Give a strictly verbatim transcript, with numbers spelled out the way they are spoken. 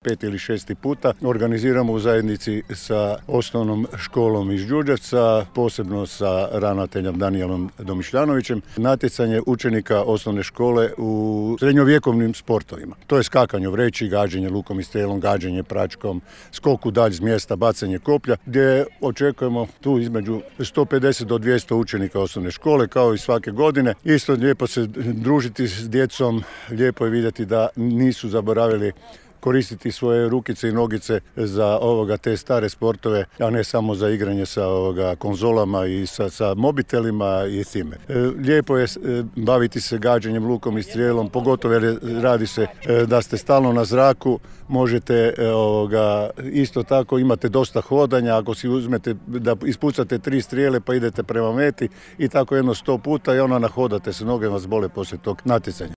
Pet ili šesti puta organiziramo u zajednici sa osnovnom školom iz Đurđevca, posebno sa ravnateljem Danijelom Domišljanovićem, natjecanje učenika osnovne škole u srednjovjekovnim sportovima. To je skakanje u vreći, gađanje lukom i strelom, gađanje pračkom, skok u dalj s mjesta, bacanje koplja, gdje očekujemo tu između sto pedeset do dvjesto učenika osnovne škole, kao i svake godine. Isto lijepo se družiti s djecom, lijepo je vidjeti da nisu zaboravili koristiti svoje rukice i nogice za ovoga te stare sportove, a ne samo za igranje sa ovoga konzolama i sa, sa mobitelima i time. E, lijepo je e, baviti se gađanjem lukom i strijelom, pogotovo jer radi se e, da ste stalno na zraku, možete e, ovoga, isto tako imate dosta hodanja, ako si uzmete da ispucate tri strijele pa idete prema meti i tako jedno sto puta i ona nahodate se, noge vas bole poslije tog natjecanja.